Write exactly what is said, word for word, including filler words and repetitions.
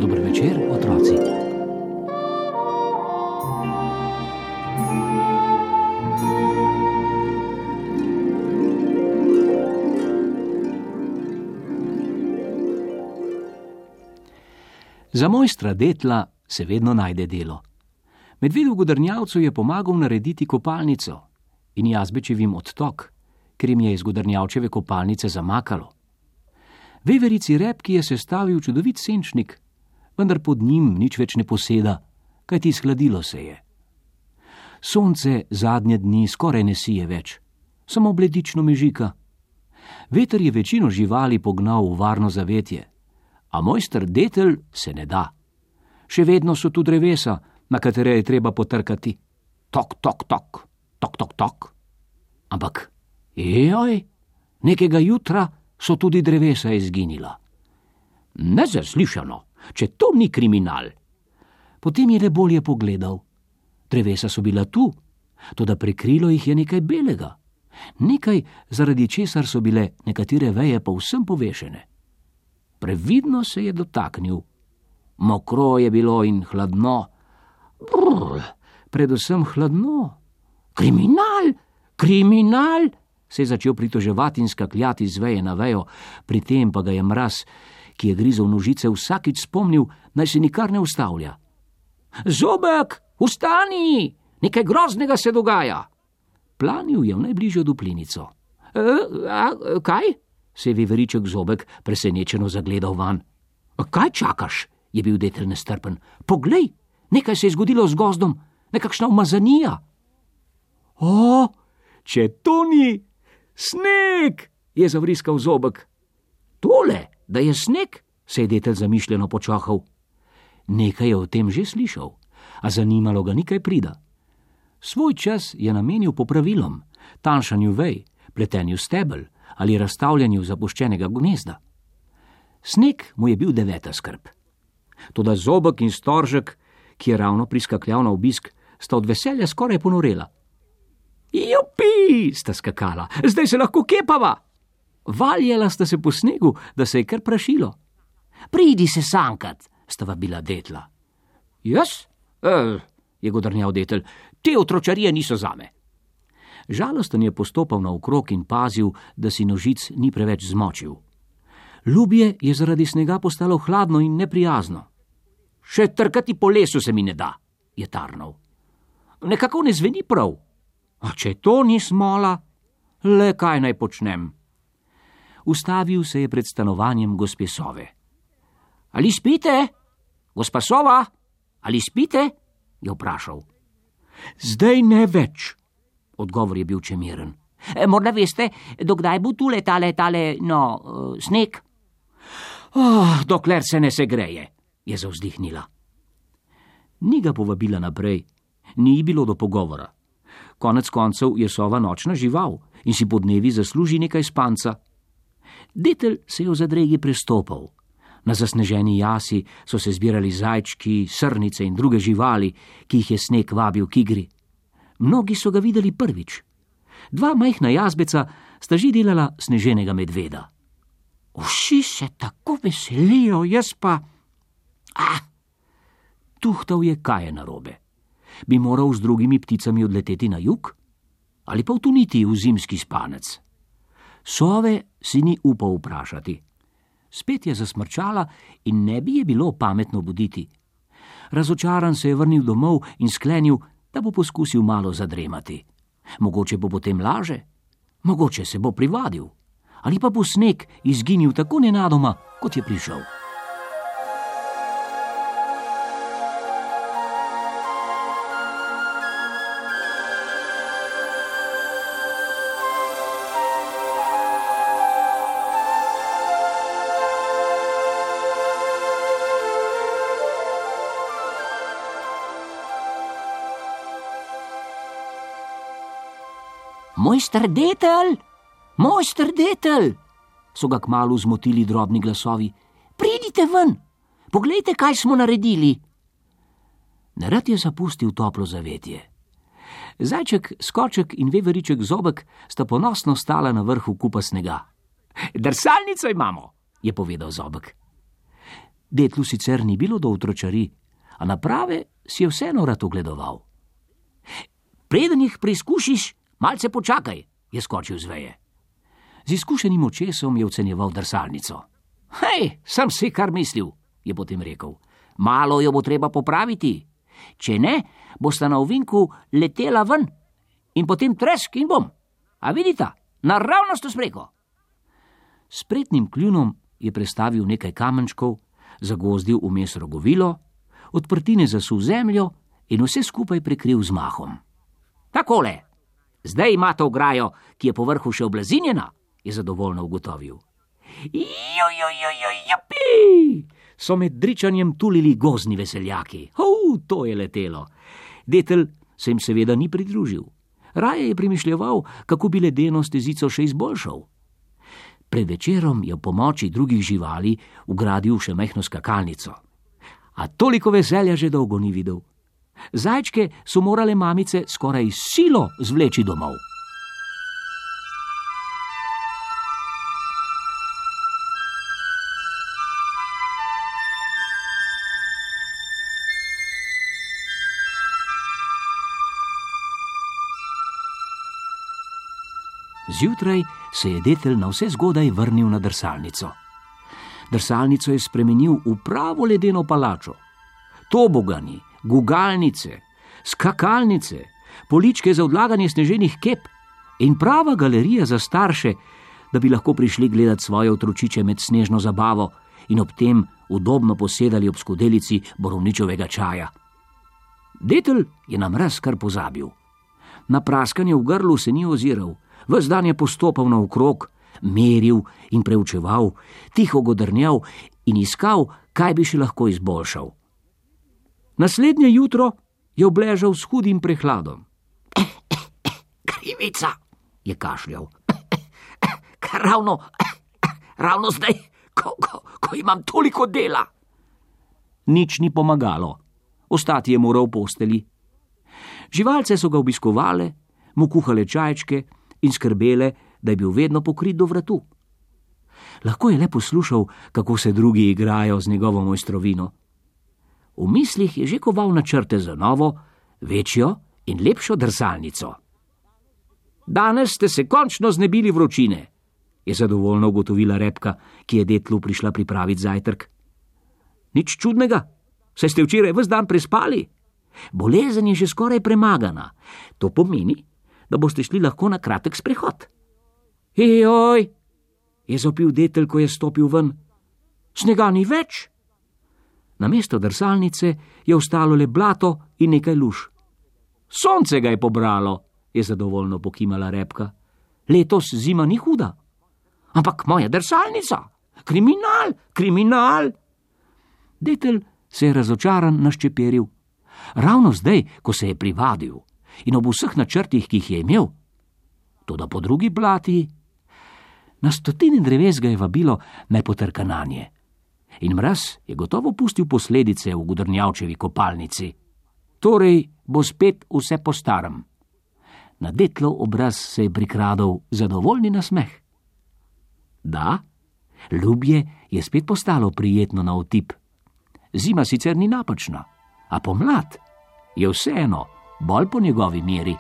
Dober večer, otroci. Za mojstra Detla se vedno najde delo. Medvedu Godrnjavcu je pomagal narediti kopalnico in Jazbečevim odtok, ker jim je iz Godrnjavčeve kopalnice zamakalo. Veverici Repki je sestavil čudovit senčnik, vendar pod njim nič več ne poseda, kajti shladilo se je. Sonce zadnje dni skoraj ne sije več, samo bledično mežika. Veter je večino živali pognal v varno zavetje, a mojster Detel se ne da. Še vedno so tu drevesa, na katere je treba potrkati. Tok, tok, tok, tok, tok, tok. Ampak, joj, nekega jutra so tudi drevesa izginila. Nezaslišano, če to ni kriminal. Potem je le bolje pogledal. Drevesa so bila tu, toda prekrilo jih je nekaj belega. Nekaj, zaradi česar so bile nekatere veje povsem povešene. Previdno se je dotaknil. Mokro je bilo in hladno. Brr, predvsem hladno. Kriminal, kriminal, se je začel pritoževati in skakljati z veje na vejo, pri tem pa ga je mraz, ki je grizel nožice, vsakič spomnil, naj se nikar ne ustavlja. Zobek, vstani, nekaj groznega se dogaja. Planil je v najbližjo duplinico. E, a, kaj? Se je veveriček Zobek presenečeno zagledal van. Kaj čakaš? Je bil Detel nestrpen. Poglej, nekaj se je zgodilo z gozdom, nekakšna umazanija. O, če to ni sneg, je zavriskal Zobek. Tole, da je sneg, se je Detel zamišljeno počahal. Nekaj je o tem že slišal, a zanimalo ga nikaj prida. Svoj čas je namenil popravilom, tanjšanju vej, pletenju stebel ali razstavljanju zapuščenega gnezda. Sneg mu je bil deveta skrb. Toda Zobek in Storžek, ki je ravno priskakljal na obisk, sta od veselja skoraj ponorela. Jupi, sta skakala, zdaj se lahko kepava. Valjala sta se po snegu, da se je kar prašilo. Pridi se sankat, sta vabila Detla. Jaz? E, je godrnjal Detel, te otročarije niso zame. Žalosten je postopal naokrog in pazil, da si nožic ni preveč zmočil. Ljubje je zaradi snega postalo hladno in neprijazno. Še trkati po lesu se mi ne da, je tarnal. Nekako ne zveni prav. A če to ni smola, le kaj naj počnem? Ustavil se je pred stanovanjem gospe Sove. Ali spite? Gospa Sova, ali spite? Je vprašal. Zdaj ne več. Odgovor je bil čemiren. E, morda veste, dokdaj bo tule tale, tale, no, uh, sneg? Oh, dokler se ne segreje, je zavzdihnila. Ni ga povabila naprej, ni bilo do pogovora. Konec koncev je sova nočna žival in si podnevi zasluži nekaj spanca. Detel se je v zadregi prestopal. Na zasneženi jasi so se zbirali zajčki, srnice in druge živali, ki jih je sneg vabil k igri. Mnogi so ga videli prvič. Dva majhna jazbeca sta že delala sneženega medveda. Vsi se tako veselijo, jaz pa... Ah! Tuhtal je, kaj je narobe. Bi moral z drugimi pticami odleteti na jug? Ali pa vtuniti v zimski spanec? Sove si ni upal vprašati. Spet je zasmrčala in ne bi je bilo pametno buditi. Razočaran se je vrnil domov in sklenil, da bo poskusil malo zadremati. Mogoče bo potem laže, mogoče se bo privadil, ali pa bo sneg izginil tako nenadoma, kot je prišel. Mojster Detel, mojster Detel, so ga kmalu zmotili drobni glasovi. Pridite ven, poglejte, kaj smo naredili. Nerad je zapustil toplo zavetje. Zajček, Skoček in veveriček Zobek sta ponosno stala na vrhu kupa snega. Drsalnico imamo, je povedal Zobek. Detlu sicer ni bilo do otročari, a naprave si je vseeno rad ogledoval. Preden jih preizkušiš, malce počakaj, je skočil z veje. Z izkušenim očesom je ocenjeval drsalnico. Hej, sem si kar mislil, je potem rekel. Malo jo bo treba popraviti. Če ne, bosta na ovinku letela ven in potem tresk in bom. A vidita, naravnost v spreko. Spretnim kljunom je prestavil nekaj kamenčkov, zagozdil vmes rogovilo, odprtine zasul zemljo in vse skupaj prekril z mahom. Takole, zdaj imate ograjo, ki je po vrhu še oblazinjena, je zadovoljno ugotovil. Jojojojoj, japi! So med dričanjem tulili gozdni veseljaki. Hov, to je letelo. Detel se jim seveda ni pridružil. Raje je premišljeval, kako bi ledeno stezico še izboljšal. Pred večerom je v pomoči drugih živali ugradil še majhno skakalnico. A toliko veselja že dolgo ni videl. Zajčke so morale mamice skoraj silo zvleči domov. Zjutraj se je detel na vse zgodaj vrnil na drsalnico. Drsalnico je spremenil v pravo ledeno palačo. Tobogani, gugalnice, skakalnice, poličke za odlaganje sneženih kep in prava galerija za starše, da bi lahko prišli gledat svoje otročiče med snežno zabavo in ob tem udobno posedali ob skodelici borovničevega čaja. Detel je na mraz kar pozabil. Na praskanje v grlu se ni oziral, ves dan je postopal naokrog, meril in preučeval, tiho godrnjal in iskal, kaj bi še lahko izboljšal. Naslednje jutro je obležal s hudim prehladom. Krivica, je kašljal. Kar ravno, ravno zdaj, ko, ko, ko imam toliko dela. Nič ni pomagalo. Ostati je moral v posteli. Živalce so ga obiskovale, mu kuhale čajčke in skrbele, da je bil vedno pokrit do vratu. Lahko je le poslušal, kako se drugi igrajo z njegovo mojstrovino. V mislih je že koval načrte za novo, večjo in lepšo drsalnico. Danes ste se končno znebili vročine, je zadovoljno ugotovila Repka, ki je detlu prišla pripraviti zajtrk. Nič čudnega, saj ste včeraj ves dan prespali. Bolezen je že skoraj premagana. To pomeni, da boste šli lahko na kratek sprehod. Ejoj, je zopil detel, ko je stopil ven. Snega ni več. Namesto drsalnice je ostalo le blato in nekaj luž. Sonce ga je pobralo, je zadovoljno pokimala Repka. Letos zima ni huda. Ampak moja drsalnica, kriminal, kriminal. Detel se je razočaran naščeperil. Ravno zdaj, ko se je privadil in ob vseh načrtih, ki jih je imel. Toda po drugi plati, na stotine dreves ga je vabilo naj potrka nanje. In mraz je gotovo pustil posledice v godrnjavčevi kopalnici. Torej bo spet vse po starem. Na detlov obraz se je prikradal zadovoljni nasmeh. Da, ljubje je spet postalo prijetno na otip. Zima sicer ni napačna, a pomlad je vseeno bolj po njegovi meri.